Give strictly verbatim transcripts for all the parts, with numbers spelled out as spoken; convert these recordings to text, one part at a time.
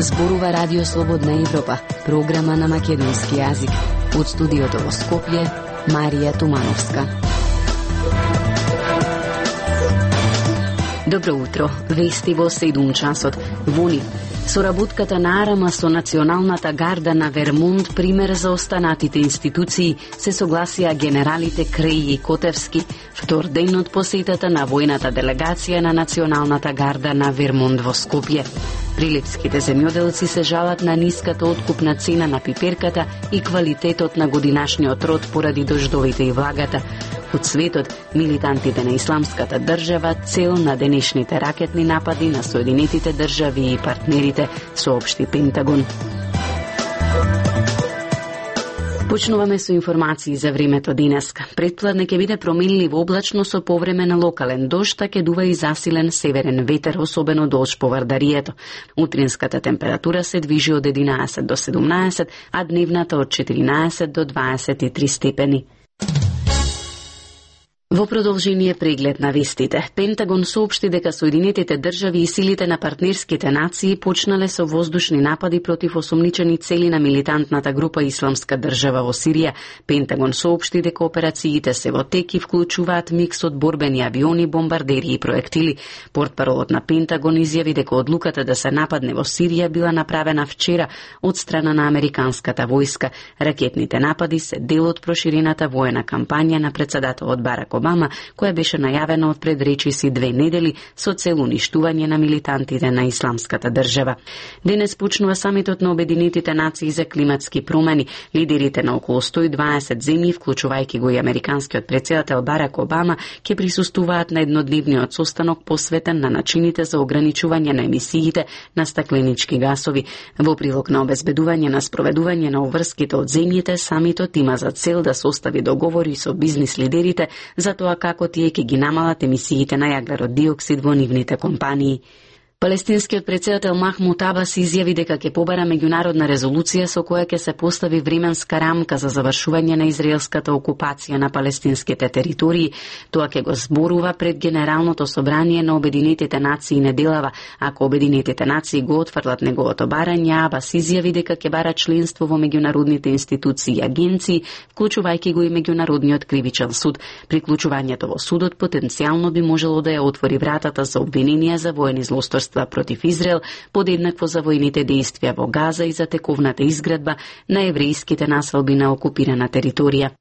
Зборува Радио Слободна Европа, програма на македонски јазик. Од студиото во Скопје, Марија Тумановска. Добро утро. Вести во седум часот. Вони. Соработката на Арама со Националната гарда на Вермонт пример за останатите институции, се согласија генералите Креј и Котевски, втор ден од посетата на војната делегација на Националната гарда на Вермонт во Скопје. Прилепските земјоделци се жалат на ниската откупна цена на пиперката и квалитетот на годинашниот род поради дождовите и влагата. Од светот, милитантите на Исламската држава цел на денешните ракетни напади на Соединетите држави и партнерите, соопшти Пентагон. Почнуваме со информации за времето денеска. Претпладне ќе биде променливо облачно со повремен локален дожд, а ќе дува и засилен северен ветер, особено долж по Вардарието. Утринската температура се движи од единаесет до седумнаесет, а дневната од четиринаесет до дваесет и три степени. Во продолжение преглед на вестите, Пентагон соопшти дека Соединетите држави и силите на партнерските нации почнале со воздушни напади против осомничени цели на милитантната група Исламска држава во Сирија. Пентагон соопшти дека операциите се во тек и вклучуваат микс од борбени авиони, бомбардери и проектили. Портпаролот на Пентагон изјави дека одлуката да се нападне во Сирија била направена вчера од страна на американската војска. Ракетните напади се дел од проширената воена кампања на претседателот Барак Обама, која беше најавена од пред речиси две недели со цел уништување на милитантите на Исламската држава. Денес почнува самитот на Обединетите нации за климатски промени. Лидерите на околу сто и дваесет земји, вклучувајќи го и американскиот претседател Барак Обама, ќе присуствуваат на еднодневниот состанок посветен на начините за ограничување на емисиите на стакленички гасови. Во прилог на обезбедување на спроведување на обврските од земјите, самитот има за цел да состави договори со бизнис лидерите за тоа како тие ќе ги намалат емисиите на јаглерод диоксид во нивните компании. Палестинскиот претседател Махмуд Абас изјави дека ќе побара меѓународна резолуција со која ќе се постави временска рамка за завршување на израелската окупација на палестинските територии. Тоа ќе го зборува пред Генералното собрание на Обединетите нации неделава. Ако Обединетите нации го отфрлат неговото барање, Абас изјави дека ќе бара членство во меѓународните институции и агенции, вклучувајќи го и Меѓународниот кривичен суд. Приклучувањето во судот потенцијално би можело да ја отвори вратата за обвиненија за воени злосторства против Израел, подеднакво за војните дејствија во Газа и за тековната изградба на еврејските населби на окупирана територија.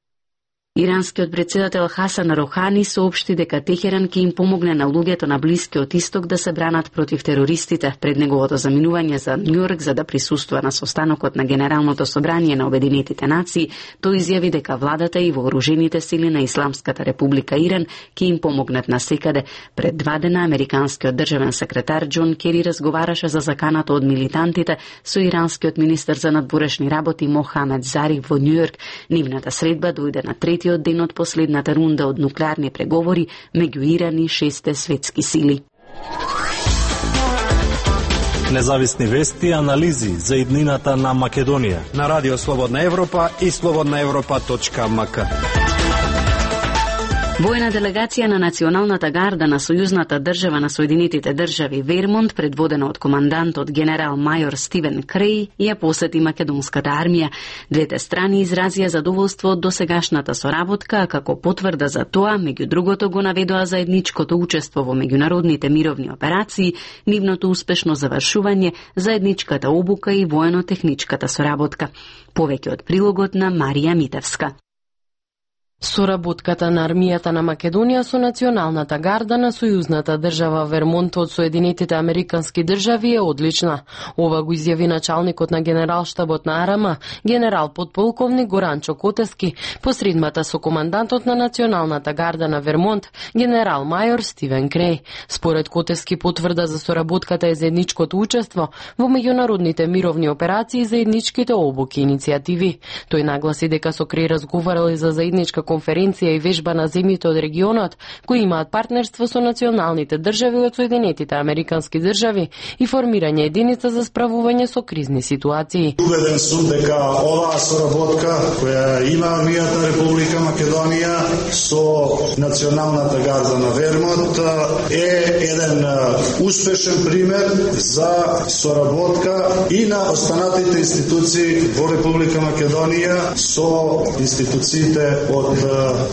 Иранскиот претседател Хасан Рохани соопшти дека Техеран ќе им помогне на луѓето на Блискиот Исток да се бранат против терористите пред неговото заминување за Њујорк за да присуствува на состанокот на Генералното собрание на Обединетите нации. Тој изјави дека владата и вооружените сили на Исламската република Иран ќе им помогнат насекаде. Пред два дена американскиот државен секретар Џон Кери разговараше за заканата од милитантите со иранскиот министер за надворешни работи Мохамед Зариф во Њујорк. Нивната средба дојде на трети од ден од последната рунда од нуклеарни преговори меѓу Иран и шесте светски сили. Независни вести и анализи за иднината на Македонија на Радио Слободна Европа и слободна европа точка ем ка. Воена делегација на Националната гарда на Сојузната држава на Соединетите држави Вермонт, предводена од командантот генерал мајор Стивен Креј, ја посети македонската армија. Двете страни изразија задоволство од досегашната соработка, а како потврда за тоа, меѓу другото го наведоа заедничкото учество во меѓународните мировни операции, нивното успешно завршување, заедничката обука и воено-техничката соработка. Повеќе од прилогот на Марија Митевска. Соработката на армијата на Македонија со Националната гарда на Сојузната држава Вермонт од Соединетите американски држави е одлична. Ова го изјави началникот на генералштабот на Арама, генерал подполковник Горанчо Котески, по средбата со командантот на Националната гарда на Вермонт, генерал мајор Стивен Креј. Според Котески, потврда за соработката е заедничкото учество во меѓународните мировни операции и заедничките обуки и иницијативи. Тој нагласи дека со Креј разговарали за заедничка конференција и вежба на земјите од регионот кои имаат партнерство со националните држави од Соединетите Американски држави и формирање единица за справување со кризни ситуации. Убеден сум дека оваа соработка која има Армијата Република Македонија со Националната гарда на Вермонт е еден успешен пример за соработка и на останатите институции во Република Македонија со институциите од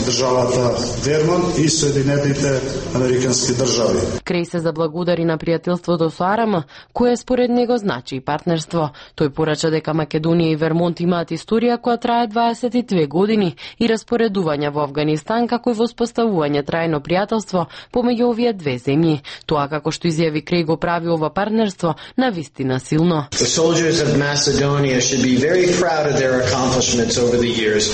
државата Вермонт и Соединетите Американски држави. Креј се заблагодари на пријателството со Арама, кое според него значи и партнерство. Тој порача дека Македонија и Вермонт имаат историја која трае дваесет и две години и распоредување во Авганистан како и воспоставување трајно пријателство помеѓу овие две земји. Тоа како што изјави Креј го прави ова партнерство на вистина силно.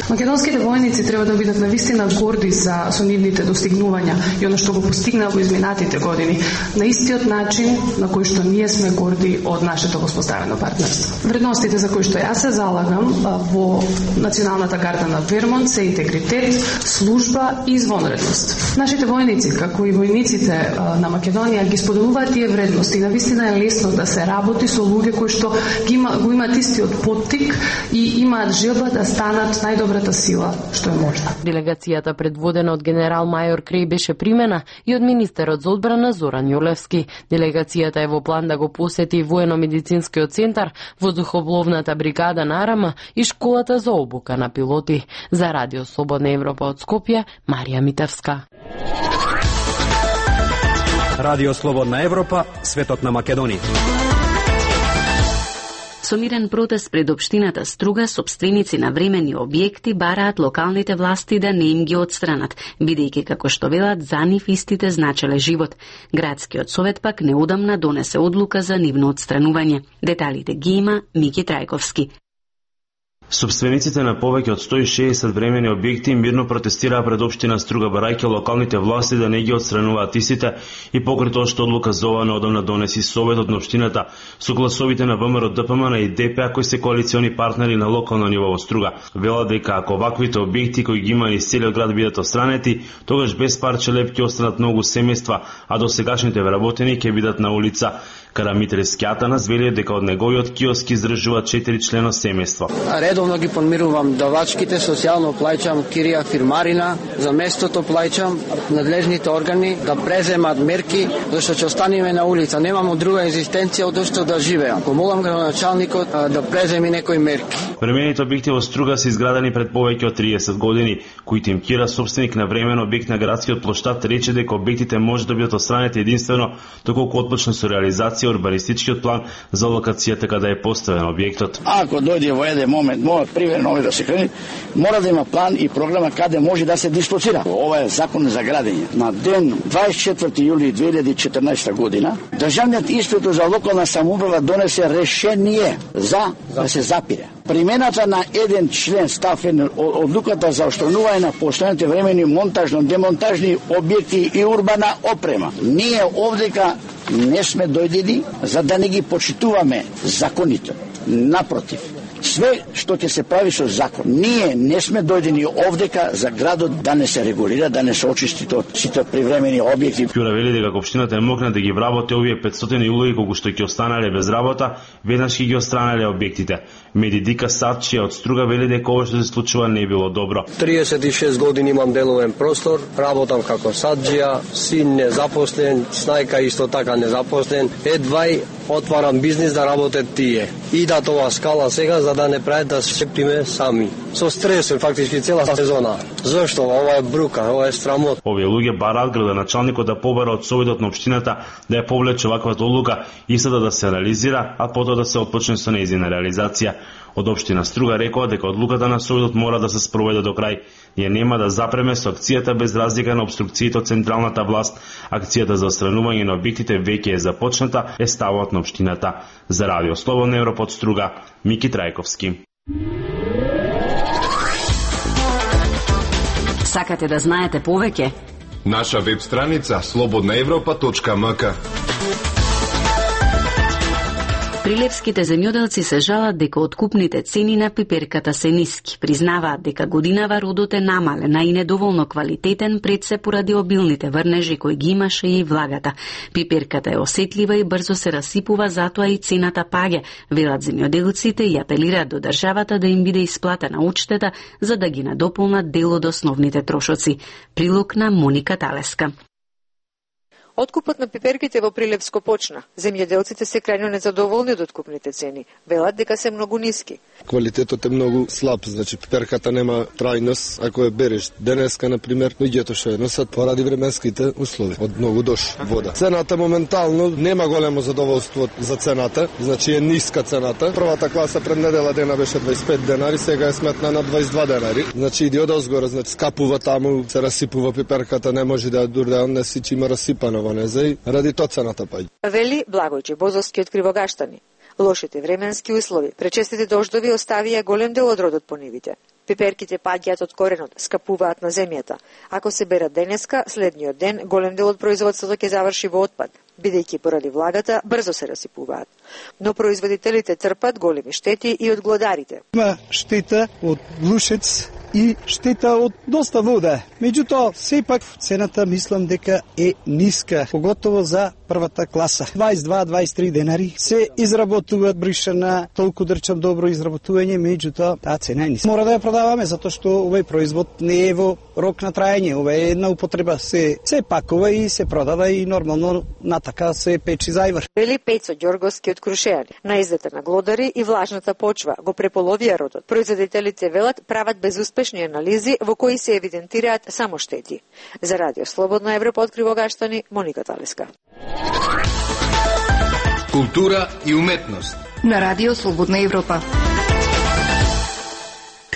Македонските војници треба да бидат на вистина горди за со нивните достигнувања и она што го постигна во изминатите години, на истиот начин на кој што ние сме горди од нашето воспоставено партнерство. Вредностите за кои што јас се залагам во Националната гарда на Вермонт се интегритет, служба и извонредност. Нашите војници, како и војниците на Македонија, ги споделуваат тие вредности. На вистина е лесно да се работи со луѓе кои што ги има, го имаат истиот поттик и имаат желба да станат најдобрата сила што е можна. Делегацијата предводена од генерал-мајор Креј беше примена и од министерот за одбрана Зоран Јолевски. Делегацијата е во план да го посети воено-медицинскиот центар, воздухопловната бригада на Арама и школата за обука на пилоти. За Радио Слободна Европа од Скопје, Марија Митевска. Радио Слободна Европа, светот на Македонија. Со мирен протест пред општината Струга, сопственици на времени објекти бараат локалните власти да не им ги отстранат, бидејќи како што велат за нив истите значеле живот. Градскиот совет пак неодамна донесе одлука за нивно отстранување. Деталите ги има Мики Трајковски. Собствениците на повеќе од сто и шеесет времени објекти мирно протестираа пред општина Струга, барајќи локалните власти да не ги отстрануваат истите и покрај тоа што одлука за ова неодамна донеси советот на општината со гласовите на ВМРО, ДПМН и ДПА кои се коалициони партнери на локално ниво во Струга. Вела дека ако оваквите објекти кои ги има низ целиот град бидат отстранети, тогаш без парче леп ќе останат многу семејства, а досегашните вработени ќе бидат на улица. Карамитре Скјатанас вели дека од неговиот киоск издржуваат четири члено семејство. Редовно ги подмирувам давачките, социјално плаќам кирија фирмарина, за местото плаќам надлежните органи да преземат мерки, зашто ќе останеме на улица. Немамо друга екзистенција од што да живеам. Помолам градоначалникот да преземи некои мерки. Времените објекти во Струга се изградени пред повеќе од триесет години. Кујтим Кира, собственик на времен објект на градскиот плоштад, рече дека објектите може да бидат отстранети единствено доколку отпочне со реализација урбанистичкиот план за локацијата каде е поставен објектот. Ако дојде во еден момент, може примерно овој да се крени, мора да има план и програма каде може да се дислоцира. Ова е закон за градење. На ден дваесет и четврти јули две илјади и четрнаесета година, државниот инспектор за локална самоуправа донесе решение за да се запире примената на еден член став еден одлуката за отстранување на постојаните времени монтажно-демонтажни објекти и урбана опрема. Ние овдека не сме дојдени за да не ги почитуваме законите. Напротив, све што ќе се прави со закон. Ние не сме дојдени овдека за градот да не се регулира, да не се очисти од сите привремени објекти. Кјура вели дека општината е могна да ги вработи овие петстотини улоги колку што ќе останале без работа, веднаш ќе ги отстранеле објектите. Медидика Сачија од Струга вели дека ова што се случува не било добро. триесет и шест години имам деловен простор, работам како саджија, син незапослен, снајка исто така незапослен. Едвај отварам бизнис да работат тие. Идат ова скала сега за да не прават да шептиме сами. Со стрес фактички цела сезона. Зошто? Ова е брука, ова е срамот. Овие луѓе бараат градоначалникот да побара од советот на општината да ја повлече ваквата одлука и сада да се реализира, а потоа да се отпочне со нејзина реализација. Од општина Струга рекоа дека одлуката на советот мора да се спроведе до крај. Ние нема да запреме со акцијата без разлика на обструкциите од централната власт. Акцијата за отстранување на објектите веќе е започната, е ставот на општината. За Радио Слободна Европа од Струга, Мики Трајковски. Сакате да знаете повеќе? Наша веб страница слободна европа точка м к. Прилепските земјоделци се жалат дека откупните цени на пиперката се ниски. Признаваат дека годинава родот е намален, а и недоволно квалитетен пред се поради обилните врнежи кои ги имаше и влагата. Пиперката е осетлива и брзо се расипува, затоа и цената паѓа, велат земјоделците и апелираат до државата да им биде исплатена одштета за да ги надополнат дел од основните трошоци. Прилог на Моника Талеска. Откупот на пиперките во Прилепско почна. Земјоделците се крајно незадоволни од откупните цени. Велат дека се многу ниски. Квалитетот е многу слаб, значи пиперката нема трајност. Ако ја береш денеска, на пример, луѓето што ја носат поради временските услови, од многу дош вода. Цената моментално нема големо задоволство за цената, значи е ниска цената. Првата класа пред недела дена беше дваесет и пет денари, сега е сметна на дваесет и два денари. Значи иди од озгора, значи скапува таму, се расипува пиперката, не може да ја дур да не си има расипано. Ради тоа цената паѓа. Вели Благојче Бозовски од Кривогаштани. Лошите временски услови, пречестите дождови оставија голем дел од родот по нивите. Пиперките паѓаат од коренот, скапуваат на земјата. Ако се берат денеска, следниот ден голем дел од производството ќе заврши во отпад, бидејќи поради влагата брзо се расипуваат. Но производителите трпат големи штети и од глодарите. Има штета од лушец и штета од доста вода. Меѓутоа, сепак цената мислам дека е ниска, поготово за првата класа. дваесет и два до дваесет и три денари се изработуваат бришана, толку дрчам добро изработување, меѓутоа таа цена е ниска. Мора да ја продаваме затоа што овој производ не е во рок на траење, ова е една употреба, се се пакува и се продава и нормално натака се печи зајвар. Вели Пецо Ѓорговски од Крушејани. Наиздата на глодари и влажната почва го преполовија родот. Производителите велат прават безуспешни анализи во кои се евидентираат само штети. За Радио Слободна Европа од Кривогаштани, Моника Талеска. Култура и уметност на Радио Слободна Европа.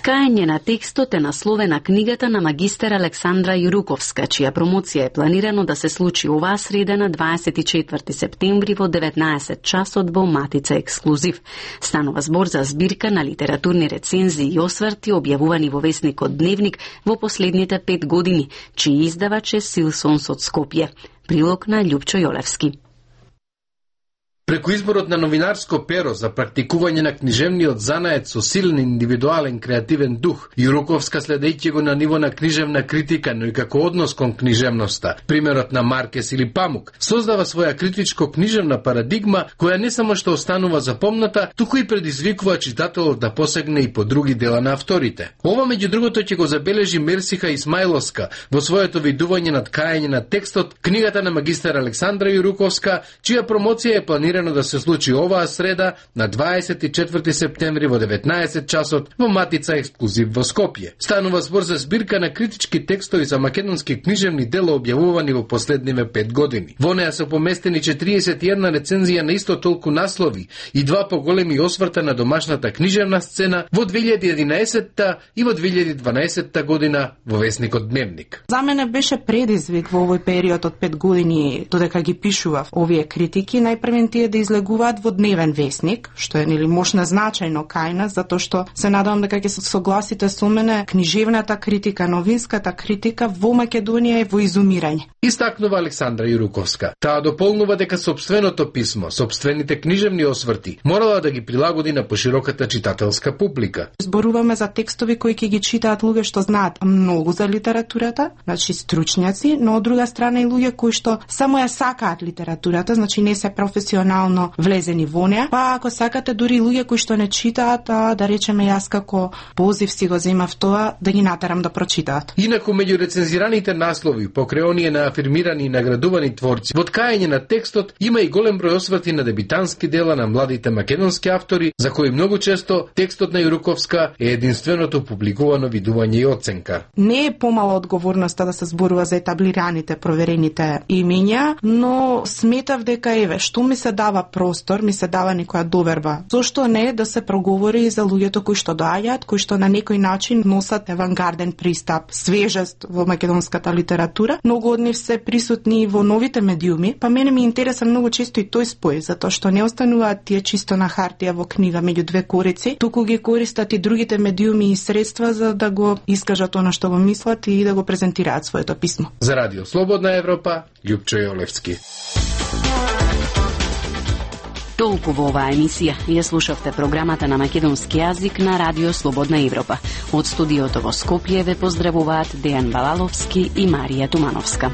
Ткаење на текстот е насловена книгата на магистер Александра Јуруковска, чија промоција е планирано да се случи оваа среда на дваесет и четврти септември во деветнаесет часот во Матица Ексклузив. Станува збор за збирка на литературни рецензии и осврти објавувани во весникот Дневник во последните пет години, чиј издавач е Силсонс од Скопје. Прилог на Љупчо Јолевски. Преку изборот на новинарско перо за практикување на книжевниот занаед со силен индивидуален креативен дух, Јуруковска следејќи го на ниво на книжевна критика, но и како однос кон книжевноста, примерот на Маркес или Памук, создава своја критичко-книжевна парадигма која не само што останува запомната, туку и предизвикува читателот да посегне и по други дела на авторите. Ова меѓу другото ќе го забележи Мерсиха Исмаиловска во своето видување на ткаење на текстот, книгата на магистер Александра Јуруковска, чија промоција е планирана да се случи оваа среда на дваесет и четврти септември во деветнаесет часот во Матица Ексклузив во Скопје. Станува збор за збирка на критички текстови за македонски книжевни дела објавувани во последниве пет години. Во неа се поместени четириесет и една рецензија на исто толку наслови и два поголеми осврта на домашната книжевна сцена во две илјади и единаесетта и во две илјади и дванаесетта година во весникот Дневник. За мене беше предизвик во овој период од пет години додека ги пишував овие критики, најпрвен тие да излегуваат во Дневен весник, што е нели можна значајно кај нас, затоа што се надевам дека ќе се согласите со мене, книжевната критика, новинската критика во Македонија е во изумирање. Истакнува Александра Јуруковска. Таа дополнува дека сопственото писмо, сопствените книжевни осврти морала да ги прилагоди на пошироката читателска публика. Зборуваме за текстови кои ќе ги читаат луѓе што знаат многу за литературата, значи стручњаци, но од друга страна и луѓе кои што само ја сакаат литературата, значи не се професионално влезени во неа, па ако сакате дури луѓе кои што не читаат, а, да речеме јас како позив си го земав тоа да ги натерам да прочитаат. Инаку меѓу рецензираните наслови покрај оние на афирмирани и наградувани творци, во ткаење на текстот има и голем број осврти на дебитански дела на младите македонски автори, за кои многу често текстот на Јуруковска е единственото публикувано видување и оценка. Не е помала одговорноста да се зборува за етаблираните, проверените имиња, но сметав дека еве што ми се дава простор, ми се дава некоја доверба. Зошто не да се проговори за луѓето кои што доаѓаат, кои што на некој начин носат авангарден пристап, свежест во македонската литература. Многу од нив се присутни во новите медиуми, па мене ми интересен многу често и тој спој, затоа што не остануваат тие чисто на хартија во книга меѓу две корици, туку ги користат и другите медиуми и средства за да го искажат она што го мислат и да го презентираат своето писмо. За Радио Слободна Европа, Љупчо Јолевски. Толку во оваа емисија. Ја слушавте програмата на македонски јазик на Радио Слободна Европа. Од студиото во Скопје ве поздравуваат Дејан Балаловски и Марија Тумановска.